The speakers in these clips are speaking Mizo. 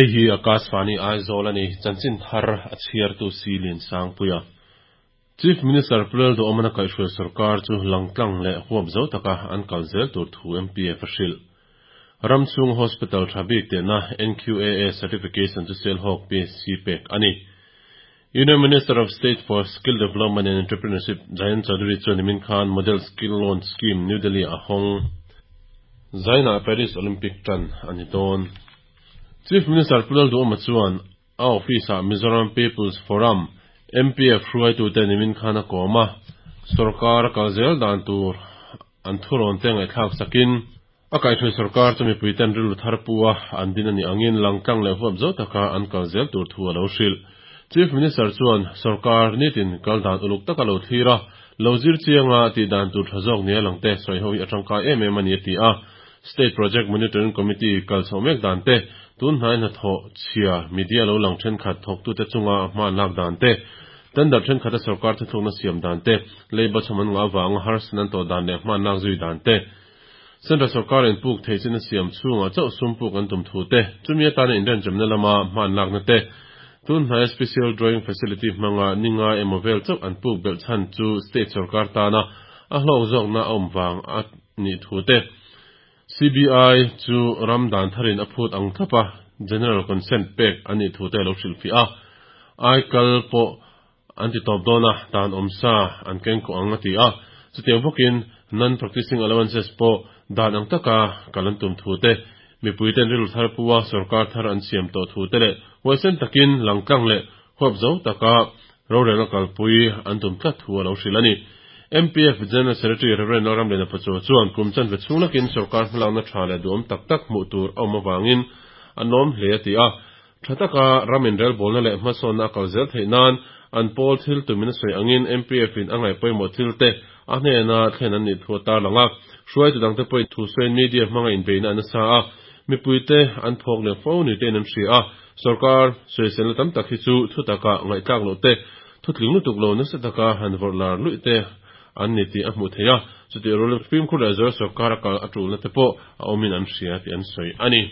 Hei hi Akashvani Aizawl a ni, chanchin thar a chhiartu si Liansangpuia. Chief Minister Pu Lalduhawmana kaihhruai sorkar chu langtlang leh huap zo taka an kal zel tur thu MPF a hrilh. Ram chhung hospital tha bik tehna NQAA certification chu Sialhawk PHC pek a ni. Union Minister of State for Skill Development and Entrepreneurship Jayant Chaudhary chuan nimin khan Model Skill Loan Scheme New Delhi ah a hawng. Zainah Paris Olympic tan a ni dawn. Chief Minister Pu Lalduhawma chuan a office-ah Mizoram People's Forum, MPF, hruaitute nimin khan a kawm a, sorkar a kal zel dan tur an thurawn te ngaihthlak sakin, a kaihhruai sorkar chu mipuiten rilru thar pu a an din a nih angin langtlang leh huap zo taka an kal zel tur thu a lo hrilh. Chief Minister chuan sorkar nitin kal dan uluk taka lo thlir a, lo zir chianga tih dan tur tha zawk nia langte sawi ho hi a tangkai em em a ni a ti a. State Project Monitoring Committee kal chhoh mek dan te, tun hnai hnathawh chhia media lo lang thenkhat thawktute chunga hma an lak dan te, tender thenkhat a sorkar thuthlukna siam dan te, leiba chhawm an ngah avanga harsatna an tawh dan leh hma an lak zui dan te, Central sorkar in puk thei chin a siam chhungah chauh sum puk an tum thu te, chumi atana inrenchemna lama hma an lakna te, tun hnaia Special Drawing Facility hmanga ni ngai emaw vel chauh an puk belh chhan chu state sorkar tana a hlawk zawkna a awm vang a nih thu te, CBI chu ram dan tharin a phut ang thlap a, General Consent pek a nih thu te a lo hrilhfiah a. Aikal pawh an ti tawp dawn a, dan awm sa an keng kawh ang a ti a. Chutiang bawkin Non-Practicing Allowances pawh dan ang taka kal an tum thu te, mipuiten rilru thar pu a sorkar thar an siam tawh thu te leh huaisen takin langtlang leh huap zo taka rorelna kalpui an tum tlat thu a lo hrilh a ni. MPF General Secretary Rev. Lalramliana Pachuau chuan kum chanve chhung lakin sorkar hmalakna tha leh duhawm tak tak hmuh tur a awm avangin a nawm hle a ti a. Tha taka ram inrelbawlna leh hmasawnna a kal zel theih nan an pawl thil tumin a sawi angin MPF in a ngaih pawimawh thil te a hnena thlen an nih thu a tarlang a. Hruaitu dangte pawhin thusawiin media hmanga inbeihna a nasa a, mipuite an phawk leh fo ni tein an hria a. Sorkar sawiselna tam tak hi chu thutaka ngaihthlak loh te, thutling lutuk lo nasa taka han vawrh lar luih te an ni tih a hmuh theih a, chutih rualin fimkhur leh zual sorkar a kal a tulna te pawh a awmin an hria tih an sawi a ni.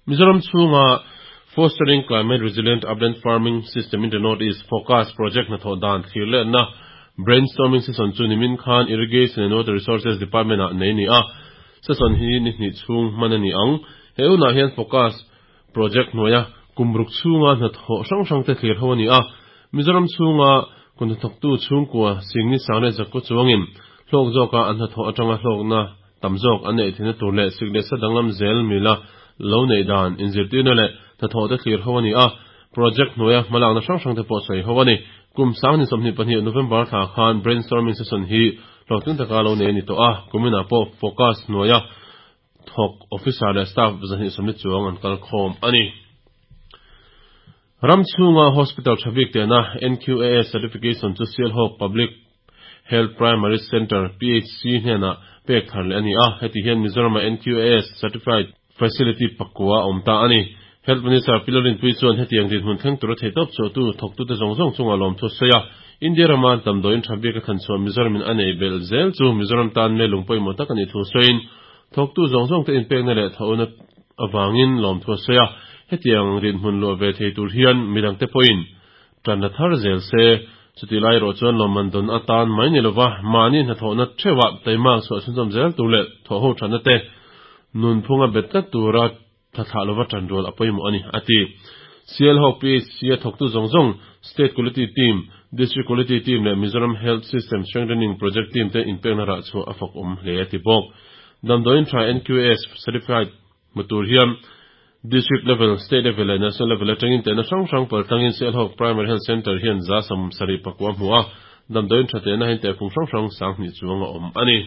Mizoram chhunga Fostering Climate Resilient Upland Farming System in the North East, FOCAS, project hnathawh dan thlir letna brainstorming session chu nimin khan Irrigation and Water Resources Department-ah nei a ni a, session hi ni hnih chhung hman a ni ang. He hunah hian FOCAS Project hnuaia kum ruk chhunga hnathawh hrang hrangte thlir ho a ni a, Mizoram chhunga kut hnathawktu chhungkua Singni Sang leh Zakkaw chuangin hlawk zawka an hnathawh atanga hlawkna tam zawk an neih theihna tur leh sik leh sa danglam zel mila lo neih dan inzirtirna leh hnathawhte thlir ho a ni a, project hnuaia hmalakna hrang hrangte pawh sawi ho a ni. Kum 2022 November thla khan brainstorming session hi hlawhtling taka lo nei a ni tawh a, kuminah pawh focus hnuaia Thawk officer leh staff 220 chuang an kal khawm a ni. Ram chhunga hospital tha bik tehna NQAS certification chu Sialhawk Public Health Primary Centre, PHC, hnenah pek thar leh a ni a, heti hian Mizoram-a NQAS certified facility pakua a awm ta a ni. Health Minister Pi Lalrinpuii chuan hetiang dinhmun thleng tura theihtawp chhuahtu thawktute zawng zawng chungah lawmthu a sawi a, India rama damdawiin tha bik a thlan chhuah Mizoramin a neih belh zel chu Mizoram tan melung pawimawh tak a nih thu sawiin thawktu zawng zawngte inpekna leh thauna avangin lawmthu a sawi a, hetiang rinhmun luah ve thei tur hian midangte pawhin tan la thar zel se. Chutih lai erawh chuan lawmman dawn atan mai ni lova mahni hnathawhna theuhah taimak chhuah chhunzawm zel tur leh thawhho thatna te nunphunga bet tlat tura Thla thlah lova ṭan rual a pawimawh a ni, a ti. Sialhawk PHC-a thawktu zawng zawng, State Quality Team, District Quality Team leh Mizoram Health System Strengthening Project Team te inpekna rah chhuah a fak awm hle, a ti bawk. Damdawiin ṭha NQAS Certified hmu tur hian District Level, State Level leh National Level aṭangin tehna hrang hrang paltlangin Sialhawk Primary Health Centre hian 79 a hmu a, damdawiin ṭha tehna hian tehfung hrang hrang 2000 chuang a awm a ni.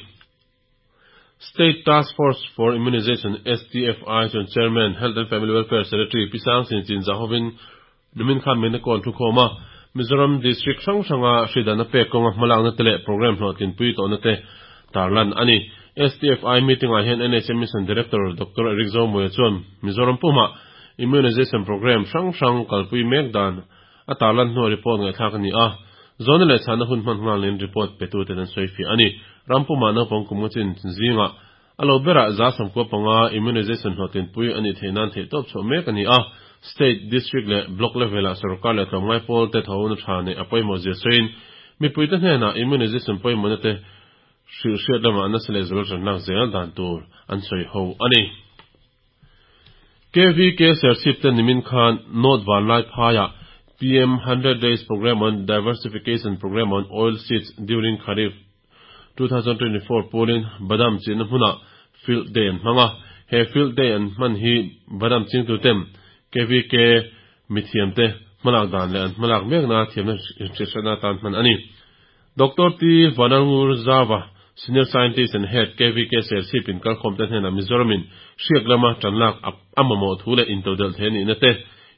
State Task Force for Immunization, STFI, chuan Chairman, Health and Family Welfare Secretary Pi Sang Sin Chin Zahovin nimin khan mena kawn thu khawm a, Mizoram District hrang hranga hridanna pek kawnga hmalakna te leh programme hlawhtlinpui tawhna te tarlan a ni. STFI meeting-ah hian NHM Mission Director Doctor Eric Zomuia chuan Mizoram pumah Immunization programme hrang hrang kalpui mek dan A tarlan hnuah report ngaihthlak a ni a, zawhna leh chhahna hun hman nghal nen report petuten an sawi fiah a ni. Ram pumah naupang kum nga chin zingah. A lo berah 95% immunization hlawhtlinpui a nih theih nan theihtawp chhuah mek a ni a. State, District leh Block level-ah sorkar leh tlawmngai pawl te thawhna tha neih a pawimawh zia sawiin mipuite hnenah immunization pawimawhna te hrilhhriat lamah nasa leh zual tanlak zel dan tur an sawi ho a ni. KVK Serchhip te nimin khan North Vanlaiphaiah PM 100 Days Programme on Diversification Programme on Oil Seeds During Kharif 2024 pawlin Badam chinna hmunah Field Day an hmang a. He Field Day an hman hi Badam chingtuten KVK mithiamte hmalak dan leh an hmalak mekna thiamna inhriatna atan hman a ni. Doctor T. Vanalngur Zava, Senior Scientist and Head, KVK Serchhip in kalkhawmte hnenah Mizoramin hriak lama tanlak a mamawh thu leh intodelh thei anihna te,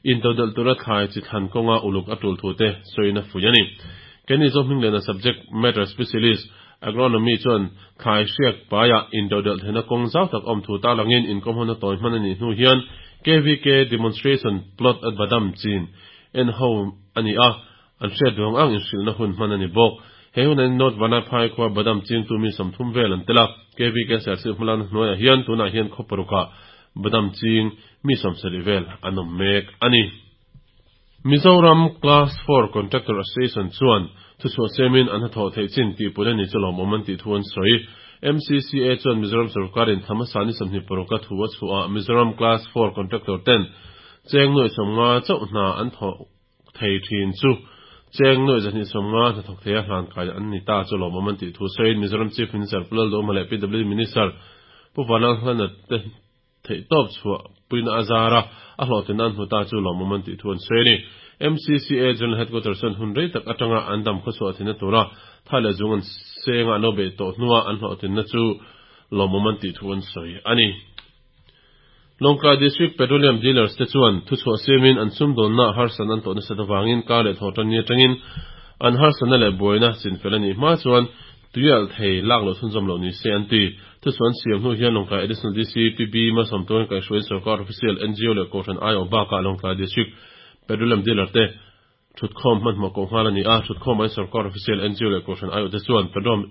intodelh tura thlai chi thlan kawnga uluk a tul thu te sawiin a fuih a ni. Kenny Zohmingliana Subject Matter Specialist, Agronomy chuan thlai hriak paiah intodelh theihna kawng zau tak awm thu tarlangin inkawmhona tawi hman a nih hnu hian KVK Demonstration Plot at Badam chin en ho a ni a, an hriat duang ang inhrilhna hun hman a ni bawk. He hunah hian North Vanlaiphai khua Badam chingtu mi 30 vel an tel a, KVK Serchhip hmalakna hnuaiah hian tunah hian khaw parukah Badam ching mi 70 vel an awm mek a ni. Mizoram Class Four Contractor Association chuan thuchhuah siamin an hnathawh theih chin tihpun a ni chu lawmawm an tih thu an sawi. MCCA chuan Mizoram sorkarin thla hmasa ni 26 a thu a chhuah ah Mizoram Class Four Contractor ten cheng nuaih 50 chauh hna an thawh thei thin chu cheng nuaih 250 hnathawk thei a hlan kai an ni ta chu lawmawm an tih thu sawiin Mizoram Chief Minister Pu Lalduhoma leh PWD Minister Pu Vanlalhlana te theihtawp chhuah puina a zar a, a hlawhtlin an hmu ta chu lawmawm an tih thu an sawi a ni. MCCA General Headquarters chuan hun rei tak atanga an dam khawchhuah thinna tura tha leh zung an senga an lo beih tawh hnua an hlawhtlinna chu lawmawm an tih thu an sawi a ni. Lawngtlai District Petroleum Dealers te chuan thuchhuah siamin an sumdawnna harsatna an tawh nasat avangin kar leh thawh tan ni atangin an harsatna leh buaina chinfel a nih hma chuan Tuialh thei lak loh chhunzawm loh ni se an ti. Thuchhuah an siam hnu hian Lawngtlai Additional DC PB Malsawmtuain kaihhruaiin Sorkar Official, NGO leh Kohhran aiawh bakah Lawngtlai District Petroleum Dealer te thutkhawm hmanhmawh koh nghal a ni a. Thutkhawm aiin Sorkar Official, NGO leh Kohhran aiawh te chuan Petroleum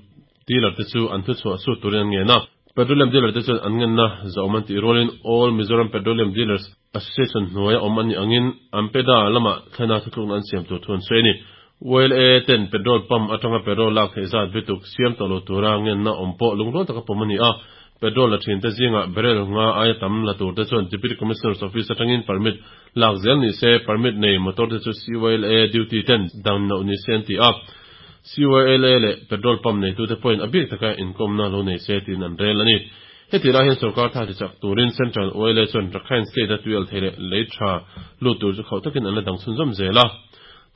Dealer te chu an thuchhuah sut turin an ngen a. Petroleum Dealer te chuan an ngenna zawm an tih rualin All Mizoram Petroleum Dealers Association hnuaia awm an nih angin AMPEDA lamah thlena thutlukna an siam tur thu an sawi a ni. YLA ten petrol pump atanga petrol lak theih zat bituk siam tawh lo tura ngenna awm pawh lungrual taka pawm a ni a. Petrol la thin te zingah barrel nga aia tam la tur te chuan Deputy Commissioner's Office atangin permit lak zel ni se, permit nei motor te chu CYLA duty ten dan loh ni se an ti a. CYLA leh petrol pump neitute pawhin a bik taka inkawmna lo nei se tiin an rel a ni. Heti lai hian sorkar tha tichak turin Central YLA chuan Rakhine State-a tuial thei leh lei tha lut tur chu khauh takin an la dang chhunzawm zel a.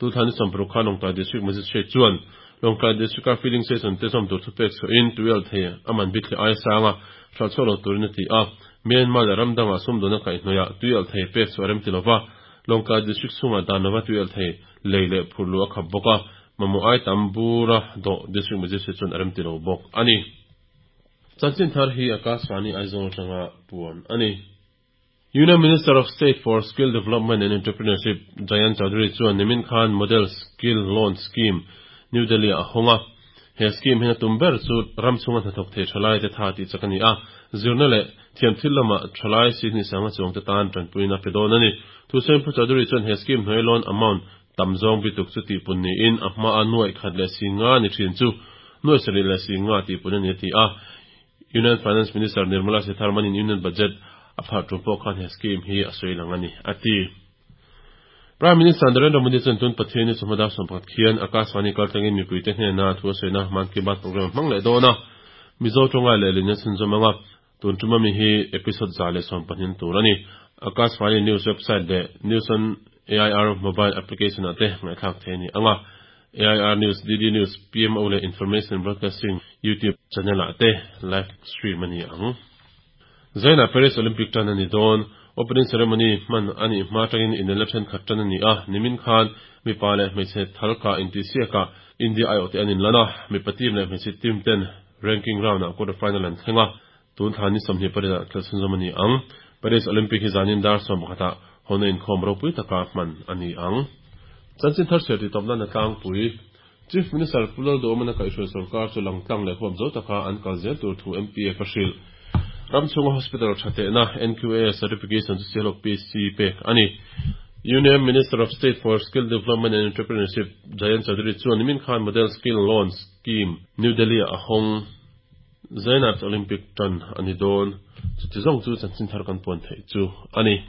Tuthla ni 60 khan Lawngtlai District Magistrate chuan Lawngtlai District-a filling station te zawm tur thupek chhuahin tuial thei a man bik leh aia sanga hralh chhuak lo turin a ti a. Myanmar leh ram dangah sumdawn a kaihhnawih ah tuial thei pek chhuah a rem ti lova, Lawngtlai District chhungah dan lova tuial thei lei leh phurh luh a khap bawk a, mamawh ai tam bura dawh District Magistrate chuan a rem ti lo bawk a ni. Chanchin thar hi Akashvani Aizawl atanga puan a ni. Union Minister of State for Skill Development and Entrepreneurship Jayant Chaudhary chuan nimin khan Model Skill Loan Scheme New Delhi-ah a hawng a. He scheme hian a tum ber chu ram chhunga hnathawk thei thalai te tha tih chak a ni a, zirna leh thiam thil lama thalai Sydney sanga chuang te tan tanpuina pe dawn a ni. Thusawi Pu Chaudhary chuan he scheme hnuai loan amount tam zawng bituk chu tihpun niin a hmaa 150,000 ni thin chu 750,000 tihpun a ni a ti a. Union Finance Minister Nirmala Sitharaman-in Union Budget a pharh tum pawh khan he scheme hi a sawi lang a ni, a ti. Prime Minister Narendra Modi chuan tun Pathianni chawhma dar 11 khian Akashvani kaltlangin mipuite hnena thu a sawina Mann Ki Baat programme a hmang leh dawn a, Mizo tawngai leh lin a chhunzawm ang a, tun tum ami hi episode 112 tur a ni. Akashvani News website leh News on AIR mobile application-ah te ngaihthlak theih a ni ang a. AIR News, DD News, PMO leh Information Broadcasting YouTube channel-ah te live stream a ni ang. Zainah Paris Olympic tan a ni dawn. Opening ceremony hman a nih hma atangin inelna thenkhat tan a ni a, nimin khan mipa leh hmeichhe thalkah intihsiakah India aiawhte an inlan a, mipa team leh hmeichhe team ten ranking round-ah quarter final an thleng a, tun thla ni 28 ah khelh chhunzawm a ni ang. Paris Olympic hi zanin dar 11 ah hawna inkhawm ropui taka hman a ni ang. Chanchin thar chhiar tih tawp nan a tlangpui. Chief Minister Pu Lalduhawmana kaihhruai sorkar chu langtlang leh huap zo taka an kal zel tur thu MPF a hrilh. Ram chhunga hospital tha tehna NQAS certification chu Sialhawk PC pek a ni. Union Minister of State for Skill Development and Entrepreneurship Jayant Chaudhary chuan nimin khan Model Skill Loan Scheme New Delhi-ah a hawng. Zainab Olympic tan a ni dawn. Chuti zawng chu chanchin thar kan puan theih chu a ni.